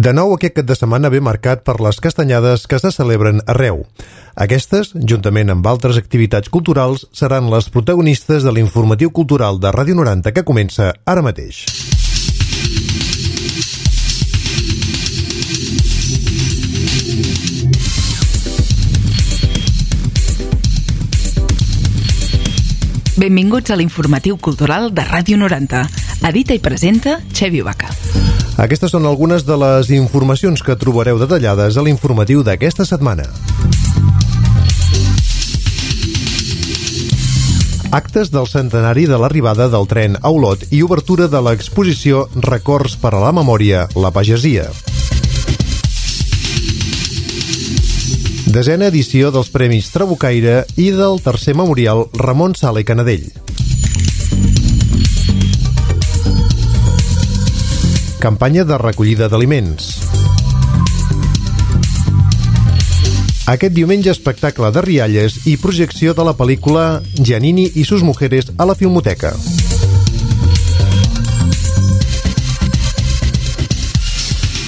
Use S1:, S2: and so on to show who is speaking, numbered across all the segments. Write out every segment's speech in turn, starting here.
S1: De nou, aquest cap de setmana ve marcat per les castanyades que se celebren arreu. Aquestes, juntament amb altres activitats culturals, seran les protagonistes de l'informatiu cultural de Ràdio 90 que comença ara mateix.
S2: Benvinguts a l'informatiu cultural de Ràdio 90. Edita i presenta Xevi Vaca.
S1: Aquestes són algunes de les informacions que trobareu detallades a l'informatiu d'aquesta setmana. Actes del centenari de l'arribada del tren a Olot i obertura de l'exposició Records per a la memòria, la pagesia. Desena edició dels Premis Trabucaire i del tercer memorial Ramon Sala i Canadell. Campanya de recollida d'aliments. Aquest diumenge espectacle de rialles i projecció de la pel·lícula Giannini i sus mujeres a la Filmoteca.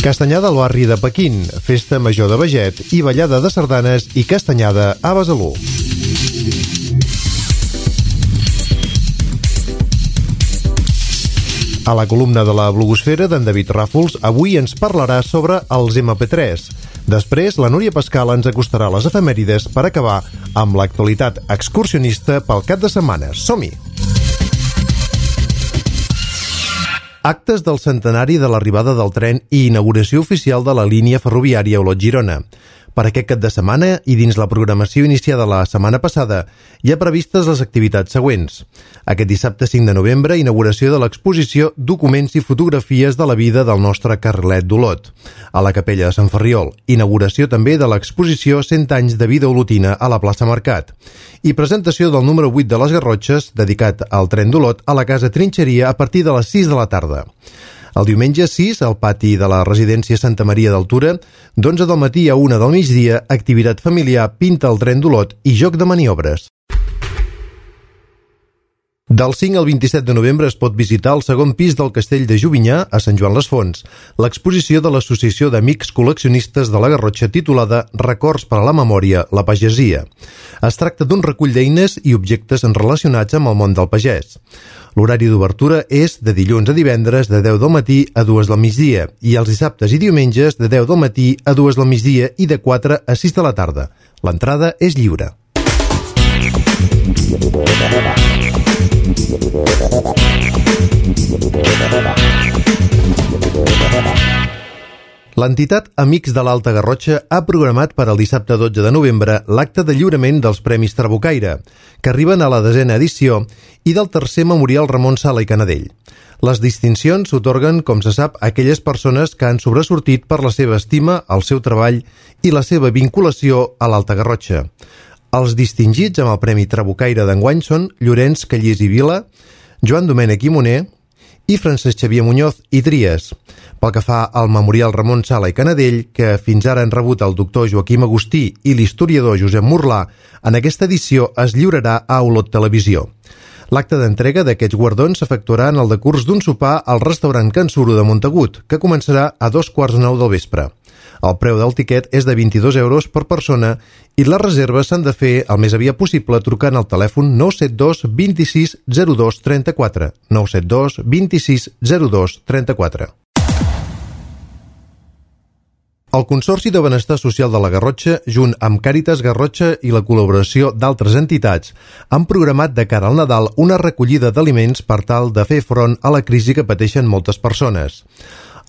S1: Castanyada al barri de Pequín, festa major de Beget i ballada de sardanes i castanyada a Besalú. A la columna de la blogosfera d'en David Ràfols avui ens parlarà sobre els MP3. Després, la Núria Pascal ens acostarà les efemèrides per acabar amb l'actualitat excursionista pel cap de setmana. Som-hi! Actes del centenari de l'arribada del tren i inauguració oficial de la línia ferroviària Olot-Girona. Per aquest cap de setmana i dins la programació iniciada la setmana passada hi ha previstes les activitats següents. Aquest dissabte 5 de novembre, inauguració de l'exposició Documents i fotografies de la vida del nostre carrilet d'Olot. A la capella de Sant Ferriol, inauguració també de l'exposició 100 anys de vida olotina a la plaça Mercat. I presentació del número 8 de les Garrotxes, dedicat al tren d'Olot, a la casa Trinxeria a partir de les 6 de la tarda. El diumenge 6, al pati de la residència Santa Maria d'Altura, d'11 del matí a 1 del migdia, activitat familiar Pinta el tren d'Olot i joc de maniobres. Del 5 al 27 de novembre es pot visitar el segon pis del Castell de Jovinyà, a Sant Joan les Fonts, l'exposició de l'Associació d'Amics Col·leccionistes de la Garrotxa titulada Records per a la memòria, la pagesia. Es tracta d'un recull d'eines i objectes relacionats amb el món del pagès. L'horari d'obertura és de dilluns a divendres de 10 del matí a 2 del migdia i els dissabtes i diumenges de 10 del matí a 2 del migdia i de 4 a 6 de la tarda. L'entrada és lliure. L'entitat Amics de l'Alta Garrotxa ha programat per al dissabte 12 de novembre l'acte de lliurament dels Premis Trabucaire, que arriben a la 10a edició, i del tercer memorial Ramon Sala i Canadell. Les distincions s'atorguen, com se sap, a aquelles persones que han sobresortit per la seva estima, el seu treball i la seva vinculació a l'Alta Garrotxa. Els distingits amb el Premi Trabucaire d'enguany són Llorenç Callís i Vila, Joan Domènech i Moner i Francesc Xavier Muñoz i Trias. Pel que fa al memorial Ramon Sala i Canadell, que fins ara han rebut el doctor Joaquim Agustí i l'historiador Josep Morlà, en aquesta edició es lliurarà a Olot Televisió. L'acte d'entrega d'aquests guardons s'efectuarà en el decurs d'un sopar al restaurant Can Suro de Montagut, que començarà a 2:45 del vespre. El preu del tiquet és de 22 euros per persona i les reserves s'han de fer el més aviat possible trucant al telèfon 972 26 02 34, 972 26 02 34. El Consorci de Benestar Social de la Garrotxa, junt amb Càritas Garrotxa i la col·laboració d'altres entitats, han programat de cara al Nadal una recollida d'aliments per tal de fer front a la crisi que pateixen moltes persones.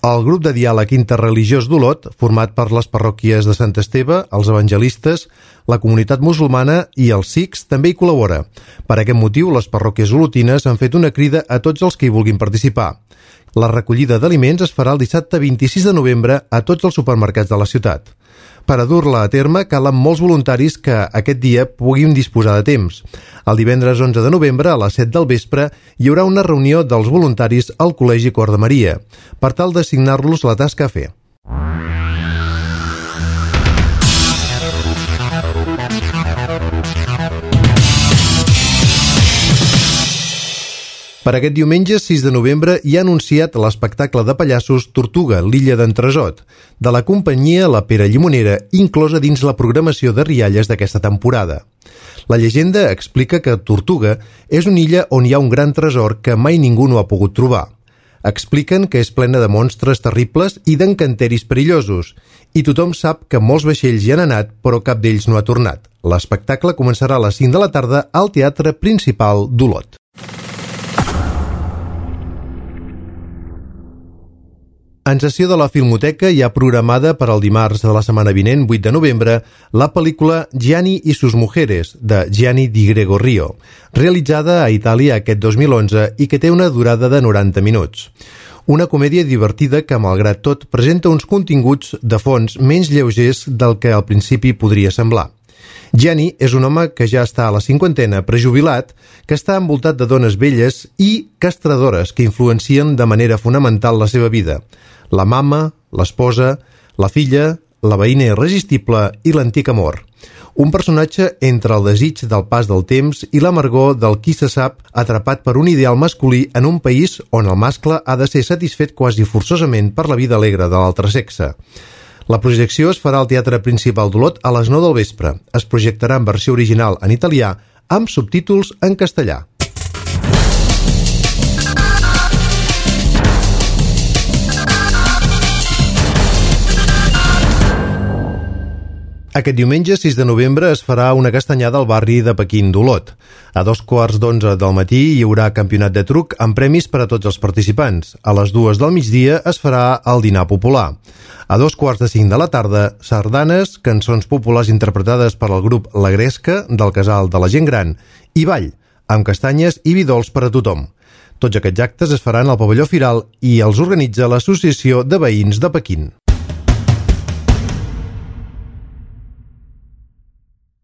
S1: El grup de diàleg interreligiós d'Olot, format per les parròquies de Sant Esteve, els evangelistes, la comunitat musulmana i els sikhs, també hi col·labora. Per aquest motiu, les parròquies olotines han fet una crida a tots els que hi vulguin participar. La recollida d'aliments es farà el dissabte 26 de novembre a tots els supermercats de la ciutat. Per a dur-la a terme calen molts voluntaris que aquest dia puguin disposar de temps. El divendres 11 de novembre a les 7 del vespre hi haurà una reunió dels voluntaris al Col·legi Cor de Maria per tal d'assignar-los la tasca a fer. Per aquest diumenge, 6 de novembre, hi ha anunciat l'espectacle de pallassos Tortuga, l'illa d'Entresot, de la companyia La Pera Llimonera, inclosa dins la programació de rialles d'aquesta temporada. La llegenda explica que Tortuga és una illa on hi ha un gran tresor que mai ningú no ha pogut trobar. Expliquen que és plena de monstres terribles i d'encanteris perillosos, i tothom sap que molts vaixells hi han anat, però cap d'ells no ha tornat. L'espectacle començarà a les 5 de la tarda al Teatre Principal d'Olot. En sessió de la Filmoteca hi ha programada per al dimarts de la setmana vinent, 8 de novembre, la pel·lícula Gianni y sus mujeres, de Gianni Di Gregorio, realitzada a Itàlia aquest 2011 i que té una durada de 90 minuts. Una comèdia divertida que, malgrat tot, presenta uns continguts de fons menys lleugers del que al principi podria semblar. Gianni és un home que ja està a la cinquantena, prejubilat, que està envoltat de dones velles i castradores que influencien de manera fonamental la seva vida. La mama, l'esposa, la filla, la veïna irresistible i l'antic amor. Un personatge entre el desig del pas del temps i l'amargor del qui se sap atrapat per un ideal masculí en un país on el mascle ha de ser satisfet quasi forçosament per la vida alegre de l'altre sexe. La projecció es farà al Teatre Principal d'Olot a les 9 del vespre. Es projectarà en versió original en italià amb subtítols en castellà. Aquest diumenge, 6 de novembre, es farà una castanyada al barri de Pequín d'Olot. A 2:15 del matí hi haurà campionat de truc amb premis per a tots els participants. A les 2 del migdia es farà el dinar popular. A 2:45 de la tarda, sardanes, cançons populars interpretades per al grup La Gresca, del Casal de la Gent Gran, i ball, amb castanyes i vi dolç per a tothom. Tots aquests actes es faran al pavelló Firal i els organitza l'Associació de Veïns de Pequín.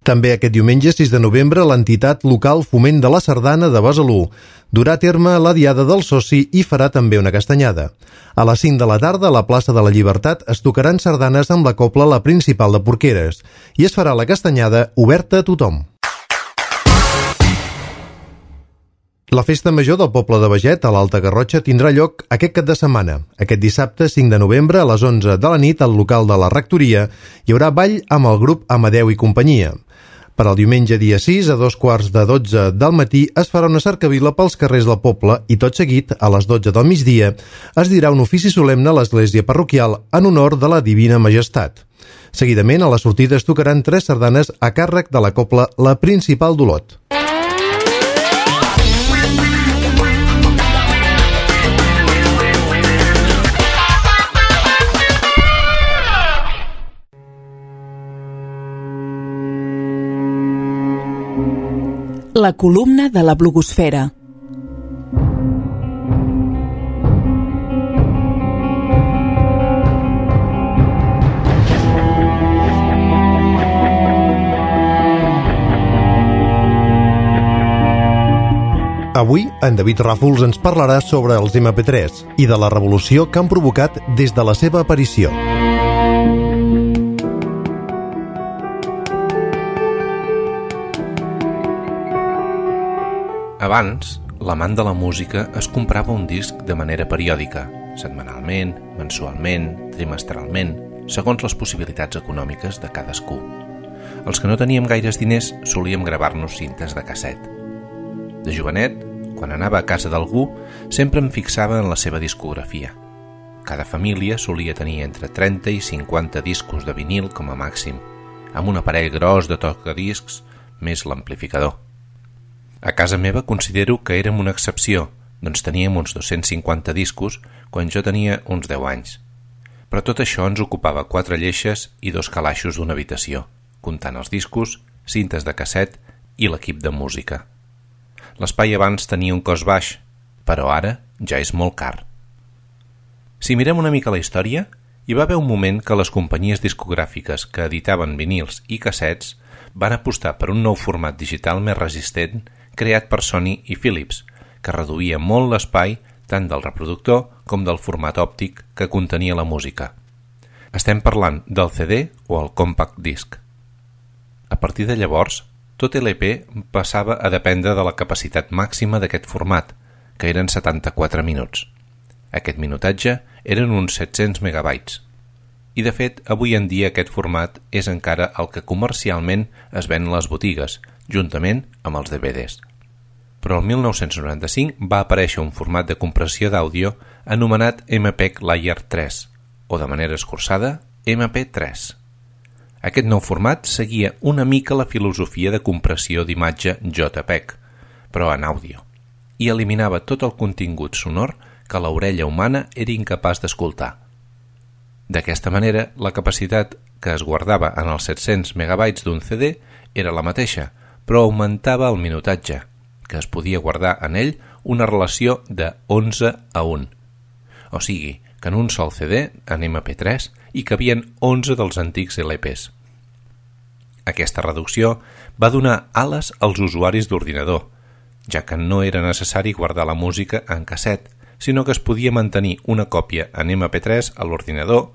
S1: També aquest diumenge, 6 de novembre, l'entitat local Foment de la Sardana de Besalú durà a terme la Diada del Soci i farà també una castanyada. A les 5 de la tarda, a la plaça de la Llibertat, es tocaran sardanes amb la cobla La Principal de Porqueres i es farà la castanyada oberta a tothom. La festa major del poble de Beget, a l'Alta Garrotxa, tindrà lloc aquest cap de setmana. Aquest dissabte, 5 de novembre, a les 11 de la nit, al local de la rectoria, hi haurà ball amb el grup Amadeu i companyia. Per al diumenge dia 6, a 2:15 del matí, es farà una cercavila pels carrers del poble i tot seguit, a les 12 del migdia, es dirà un ofici solemne a l'església parroquial en honor de la Divina Majestat. Seguidament, a la sortida es tocaran 3 sardanes a càrrec de la cobla La Principal d'Olot.
S2: La columna de la blogosfera.
S1: Avui, en David Ràfols ens parlarà sobre els MP3 i de la revolució que han provocat des de la seva aparició.
S3: Abans, l'amant de la música es comprava un disc de manera periòdica, setmanalment, mensualment, trimestralment, segons les possibilitats econòmiques de cadascú. Els que no teníem gaires diners solíem gravar-nos cintes de casset. De jovenet, quan anava a casa d'algú, sempre em fixava en la seva discografia. Cada família solia tenir entre 30 i 50 discos de vinil com a màxim, amb un aparell gros de tocadiscs més l'amplificador. A casa meva considero que érem una excepció, doncs teníem uns 250 discos quan jo tenia uns 10 anys. Però tot això ens ocupava 4 lleixes i 2 calaixos d'una habitació, comptant els discos, cintes de casset i l'equip de música. L'espai abans tenia un cost baix, però ara ja és molt car. Si mirem una mica la història, hi va haver un moment que les companyies discogràfiques que editaven vinils i cassets van apostar per un nou format digital més resistent creat per Sony i Philips, que reduïa molt l'espai tant del reproductor com del format òptic que contenia la música. Estem parlant del CD o el compact disc. A partir de llavors, tot LP passava a dependre de la capacitat màxima d'aquest format, que eren 74 minuts. Aquest minutatge eren uns 700 megabytes. I de fet, avui en dia aquest format és encara el que comercialment es ven a les botigues, juntament amb els DVDs. Però el 1995 va aparèixer un format de compressió d'àudio anomenat MPEG Layer 3, o de manera escurçada, MP3. Aquest nou format seguia una mica la filosofia de compressió d'imatge JPEG, però en àudio, i eliminava tot el contingut sonor que l'orella humana era incapaç d'escoltar. D'aquesta manera, la capacitat que es guardava en els 700 megabytes d'un CD era la mateixa, però augmentava el minutatge, que es podia guardar en ell una relació de 11 a 1. O sigui, que en un sol CD, en MP3, hi cabien 11 dels antics LPs. Aquesta reducció va donar ales als usuaris d'ordinador, ja que no era necessari guardar la música en casset, sinó que es podia mantenir una còpia en MP3 a l'ordinador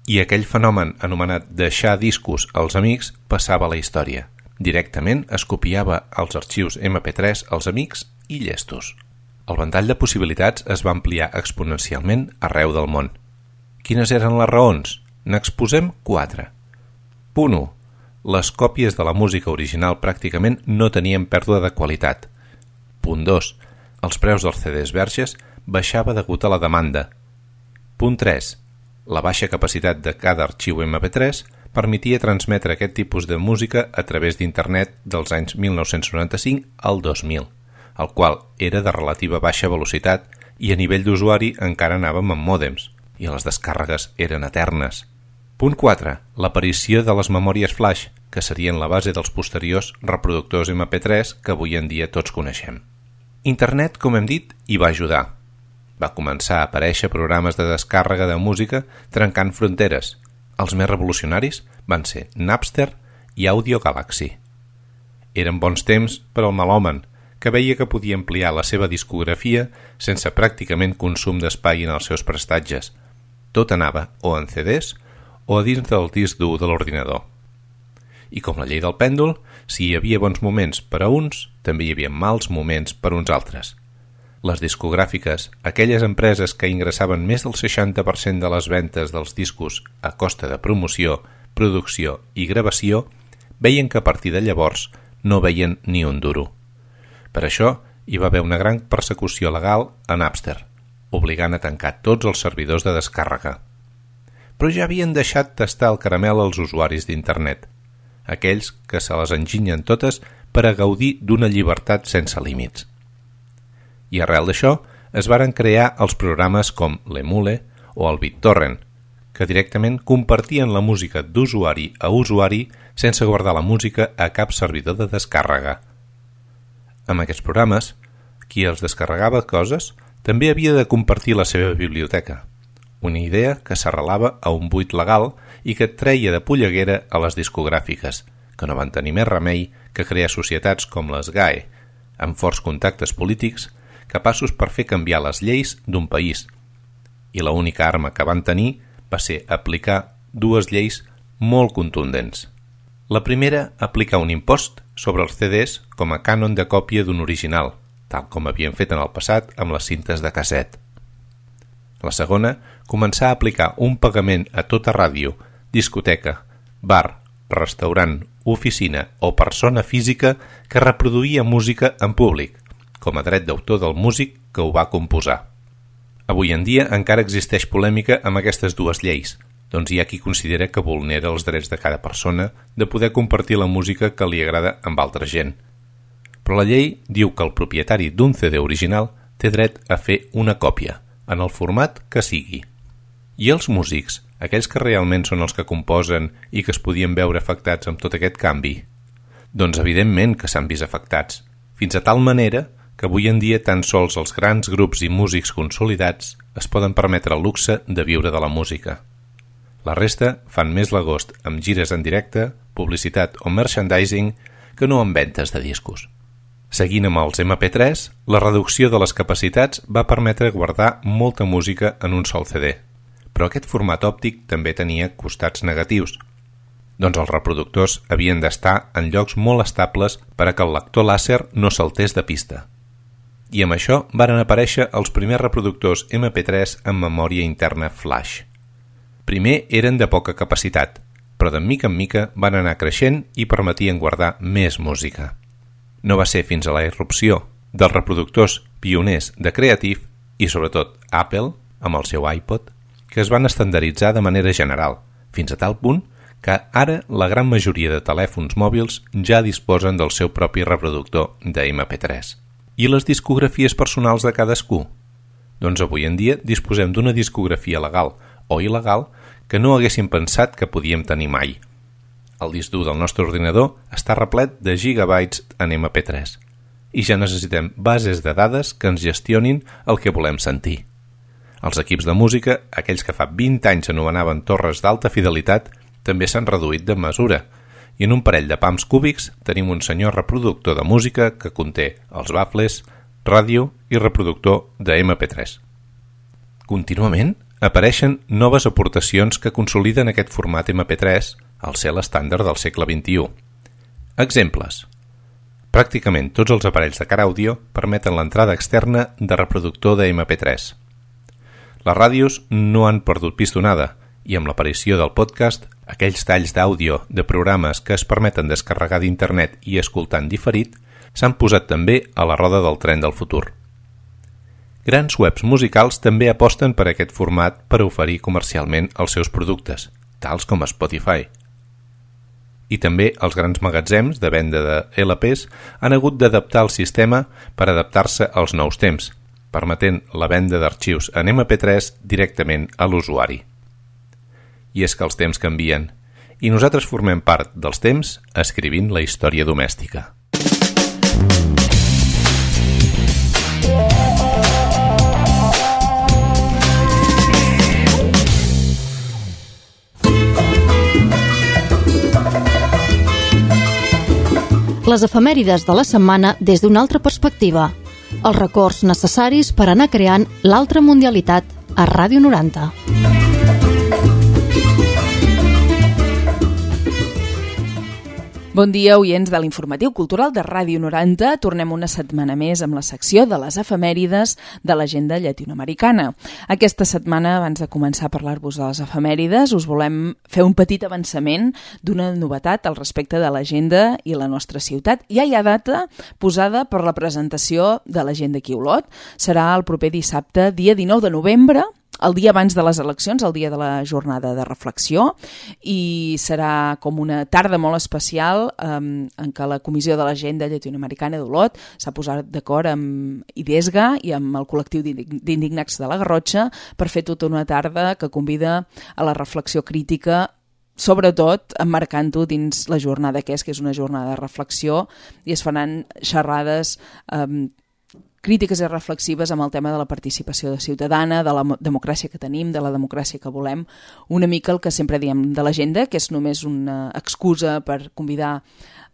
S3: i aquell fenomen anomenat deixar discos als amics passava a la història. Directament es copiava els arxius MP3 als amics i llestos. El ventall de possibilitats es va ampliar exponencialment arreu del món. Quines eren les raons? N'exposem 4. Punt 1. Les còpies de la música original pràcticament no tenien pèrdua de qualitat. Punt 2. Els preus dels CDs verges baixava degut a la demanda. Punt 3. La baixa capacitat de cada arxiu MP3 permetia transmetre aquest tipus de música a través d'internet dels anys 1995 al 2000, el qual era de relativa baixa velocitat i a nivell d'usuari encara anàvem amb mòdems, i les descàrregues eren eternes. Punt 4. L'aparició de les memòries flash, que serien la base dels posteriors reproductors MP3 que avui en dia tots coneixem. Internet, com hem dit, hi va ajudar. Va començar a aparèixer programes de descàrrega de música trencant fronteres. Els més revolucionaris van ser Napster i Audio Galaxy. Eren bons temps per al melòman, que veia que podia ampliar la seva discografia sense pràcticament consum d'espai en els seus prestatges. Tot anava o en CDs o a dins del disc dur de l'ordinador. I com la llei del pèndol, si hi havia bons moments per a uns, també hi havia mals moments per uns altres. Les discogràfiques, aquelles empreses que ingressaven més del 60% de les ventes dels discos a costa de promoció, producció i gravació, veien que a partir de llavors no veien ni un duro. Per això hi va haver una gran persecució legal a Napster, obligant a tancar tots els servidors de descàrrega. Però ja havien deixat tastar el caramel als usuaris d'internet, aquells que se les enginyen totes per a gaudir d'una llibertat sense límits. I arrel d'això es varen crear els programes com l'Emule o el BitTorrent, que directament compartien la música d'usuari a usuari sense guardar la música a cap servidor de descàrrega. Amb aquests programes, qui els descarregava coses també havia de compartir la seva biblioteca, una idea que s'arrelava a un buit legal i que treia de polleguera a les discogràfiques, que no van tenir més remei que crear societats com les GAE, amb forts contactes polítics, capaços per fer canviar les lleis d'un país. I l'única arma que van tenir va ser aplicar dues lleis molt contundents. La primera, aplicar un impost sobre els CDs com a cànon de còpia d'un original, tal com havien fet en el passat amb les cintes de casset. La segona, començar a aplicar un pagament a tota ràdio, discoteca, bar, restaurant, oficina o persona física que reproduïa música en públic, com a dret d'autor del músic que ho va composar. Avui en dia encara existeix polèmica amb aquestes dues lleis, doncs hi ha qui considera que vulnera els drets de cada persona de poder compartir la música que li agrada amb altra gent. Però la llei diu que el propietari d'un CD original té dret a fer una còpia, en el format que sigui. I els músics, aquells que realment són els que composen i que es podien veure afectats amb tot aquest canvi? Doncs evidentment que s'han vist afectats, fins a tal manera que avui en dia tan sols els grans grups i músics consolidats es poden permetre el luxe de viure de la música. La resta fan més l'agost amb gires en directe, publicitat o merchandising que no amb ventes de discos. Seguint amb els MP3, la reducció de les capacitats va permetre guardar molta música en un sol CD, però aquest format òptic també tenia costats negatius, doncs els reproductors havien d'estar en llocs molt estables per a que el lector làser no saltés de pista. i amb això varen aparèixer els primers reproductors MP3 amb memòria interna flash. Primer eren de poca capacitat, però de mica en mica van anar creixent i permetien guardar més música. No va ser fins a la irrupció dels reproductors pioners de Creative i sobretot Apple, amb el seu iPod, que es van estandarditzar de manera general, fins a tal punt que ara la gran majoria de telèfons mòbils ja disposen del seu propi reproductor de MP3. I les discografies personals de cadascú? Doncs avui en dia disposem d'una discografia legal o il·legal que no haguéssim pensat que podíem tenir mai. El disc dur del nostre ordinador està replet de gigabytes en MP3 i ja necessitem bases de dades que ens gestionin el que volem sentir. Els equips de música, aquells que fa 20 anys anomenaven torres d'alta fidelitat, també s'han reduït de mesura i en un parell de pams cúbics tenim un senyor reproductor de música que conté els bafles, ràdio i reproductor de MP3. Contínuament apareixen noves aportacions que consoliden aquest format MP3 al ser l'estàndard del segle XXI. Exemples. Pràcticament tots els aparells de car àudio permeten l'entrada externa de reproductor de MP3. Les ràdios no han perdut pistonada i amb l'aparició del podcast, aquells talls d'àudio de programes que es permeten descarregar d'internet i escoltar en diferit s'han posat també a la roda del tren del futur. Grans webs musicals també aposten per aquest format per oferir comercialment els seus productes, tals com Spotify. I també els grans magatzems de venda de LPs han hagut d'adaptar el sistema per adaptar-se als nous temps, permetent la venda d'arxius en MP3 directament a l'usuari. I és que els temps canvien, i nosaltres formem part dels temps escrivint la història domèstica.
S4: Les efemèrides de la setmana des d'una altra perspectiva. Els records necessaris per anar creant l'altra mundialitat a Ràdio 90.
S2: Bon dia, oients de l'Informatiu Cultural de Ràdio 90. Tornem una setmana més amb la secció de les efemèrides de l'agenda llatinoamericana. Aquesta setmana, abans de començar a parlar-vos de les efemèrides, us volem fer un petit avançament d'una novetat al respecte de l'agenda i la nostra ciutat. Ja hi ha data posada per la presentació de l'agenda aquí a Olot. Serà el proper dissabte, dia 19 de novembre, el dia abans de les eleccions, el dia de la jornada de reflexió, i serà com una tarda molt especial en què la Comissió de l'Agenda Llatinoamericana d'Olot s'ha posat d'acord amb IDESGA i amb el col·lectiu d'indignats de la Garrotxa per fer tota una tarda que convida a la reflexió crítica, sobretot emmarcant-ho dins la jornada que és una jornada de reflexió, i es faran xerrades crítiques i reflexives amb el tema de la participació ciutadana, de la democràcia que tenim, de la democràcia que volem, una mica el que sempre diem de l'agenda, que és només una excusa per convidar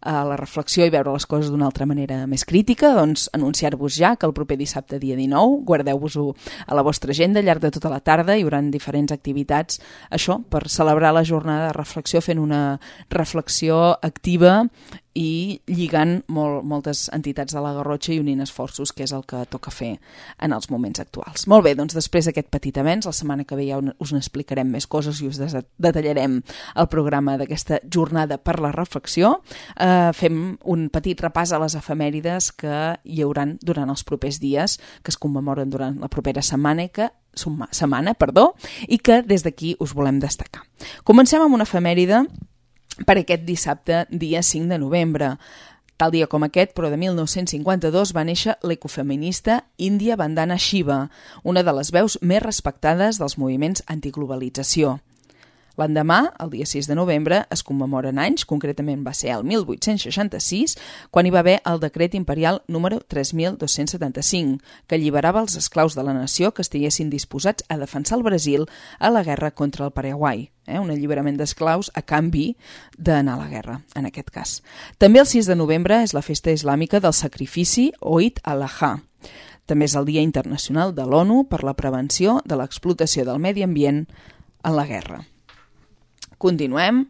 S2: a la reflexió i veure les coses d'una altra manera més crítica. Doncs anunciar-vos ja que el proper dissabte, dia 19, guardeu-vos-ho a la vostra agenda. Al llarg de tota la tarda hi haurà diferents activitats, això, per celebrar la jornada de reflexió, fent una reflexió activa i lligant moltes entitats de la Garrotxa i unint esforços, que és el que toca fer en els moments actuals. Molt bé, doncs després d'aquest petit avenç, la setmana que ve ja us n'explicarem més coses i us detallarem el programa d'aquesta jornada per la reflexió. Fem un petit repàs a les efemèrides que hi hauran durant els propers dies, que es commemoren durant la propera setmana, i que des d'aquí us volem destacar. Comencem amb una efemèride per aquest dissabte, dia 5 de novembre. Tal dia com aquest, però de 1952, va néixer l'ecofeminista Índia Vandana Shiva, una de les veus més respectades dels moviments antiglobalització. L'endemà, el dia 6 de novembre, es commemoren anys, concretament va ser el 1866, quan hi va haver el decret imperial número 3275, que alliberava els esclaus de la nació que estiguessin disposats a defensar el Brasil a la guerra contra el Paraguai. Un alliberament d'esclaus a canvi d'anar a la guerra, en aquest cas. També el 6 de novembre és la festa islàmica del sacrifici o Eid al-Adha. També és el Dia Internacional de l'ONU per la prevenció de l'explotació del medi ambient en la guerra. Continuem.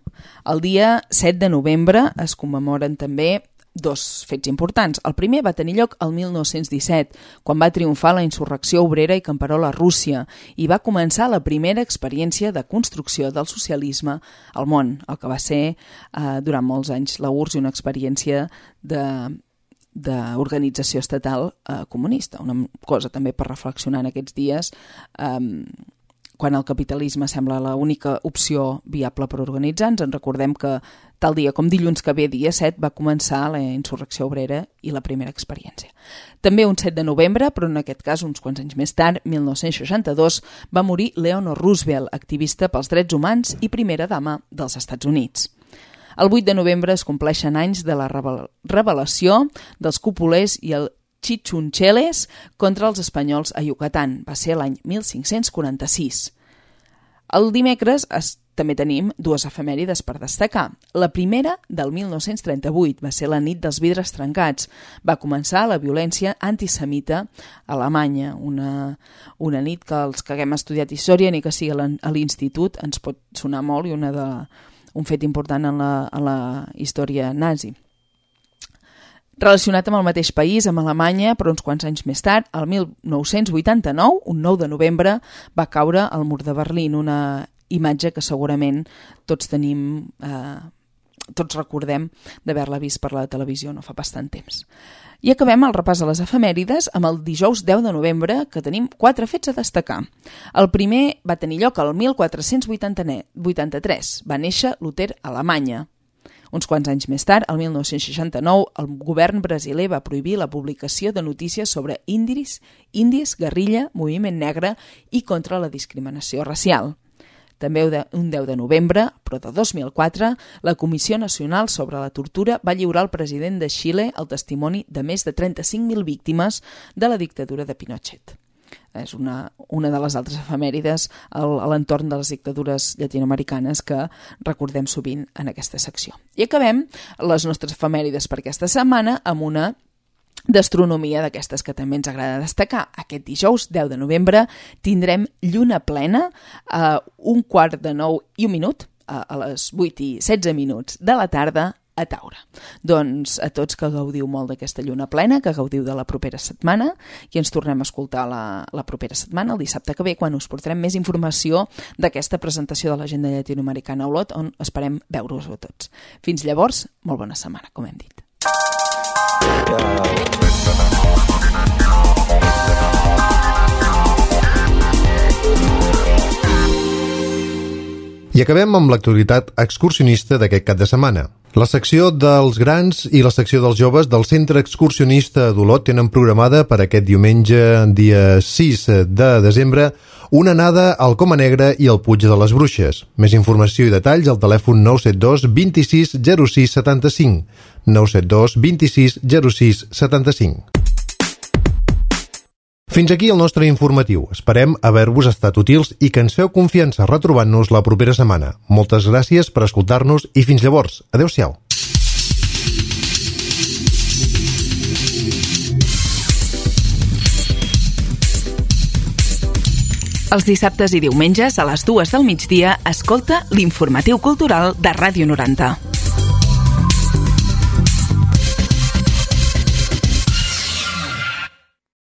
S2: El dia 7 de novembre es commemoren també dos fets importants. El primer va tenir lloc el 1917, quan va triomfar la insurrecció obrera i camperola a Rússia i va començar la primera experiència de construcció del socialisme al món, el que va ser durant molts anys la URSS i una experiència d'organització estatal comunista. Una cosa també per reflexionar en aquests dies, quan el capitalisme sembla l'única opció viable per organitzar-nos. Ens recordem que tal dia com dilluns que ve, dia 7, va començar la insurrecció obrera i la primera experiència. També un 7 de novembre, però en aquest cas uns quants anys més tard, 1962, va morir Eleanor Roosevelt, activista pels drets humans i primera dama dels Estats Units. El 8 de novembre es compleixen anys de la rebel·lació dels cúpulers i el Chicuncheles contra els espanyols a Yucatán. Va ser l'any 1546. El dimecres també tenim dues efemèrides per destacar. La primera, del 1938, va ser la nit dels vidres trencats. Va començar la violència antisemita a Alemanya, una nit que els que haguem estudiat història ni que sigui a l'institut ens pot sonar molt i un fet important en la història nazi. Relacionat amb el mateix país, amb Alemanya, però uns quants anys més tard, el 1989, un 9 de novembre, va caure el mur de Berlín, una imatge que segurament tots tenim, tots recordem d'haver-la vist per la televisió no fa bastant temps. I acabem el repàs de les efemèrides amb el dijous 10 de novembre, que tenim 4 fets a destacar. El primer va tenir lloc el 1483. Va néixer Luter a Alemanya. Uns quants anys més tard, el 1969, el govern brasiler va prohibir la publicació de notícies sobre indis, guerrilla, moviment negre i contra la discriminació racial. També un 10 de novembre, però de 2004, la Comissió Nacional sobre la Tortura va lliurar al president de Xile el testimoni de més de 35.000 víctimes de la dictadura de Pinochet. És una de les altres efemèrides a l'entorn de les dictadures llatinoamericanes que recordem sovint en aquesta secció. I acabem les nostres efemèrides per aquesta setmana amb una d'astronomia d'aquestes que també ens agrada destacar. Aquest dijous, 10 de novembre, tindrem lluna plena a 8:45, a les 8:16 de la tarda, a Taure. Doncs a tots que gaudiu molt d'aquesta lluna plena, que gaudiu de la propera setmana, i ens tornem a escoltar la propera setmana, el dissabte que ve, quan us portarem més informació d'aquesta presentació de l'agenda llatinoamericana a Olot, on esperem veure-us a tots. Fins llavors, molt bona setmana, com hem dit.
S1: I acabem amb l'actualitat excursionista d'aquest cap de setmana. La secció dels grans i la secció dels joves del Centre Excursionista d'Olot tenen programada per aquest diumenge, dia 6 de desembre, una anada al Coma Negra i al Puig de les Bruixes. Més informació i detalls al telèfon 972 26 06 75. 972 26 06 75. Fins aquí el nostre informatiu. Esperem haver-vos estat útils i que ens feu confiança retrobant-nos la propera setmana. Moltes gràcies per escoltar-nos i fins llavors. Adéu-siau.
S2: Els dissabtes i diumenges a les 2 del migdia escolta l'Informatiu Cultural de Ràdio 90.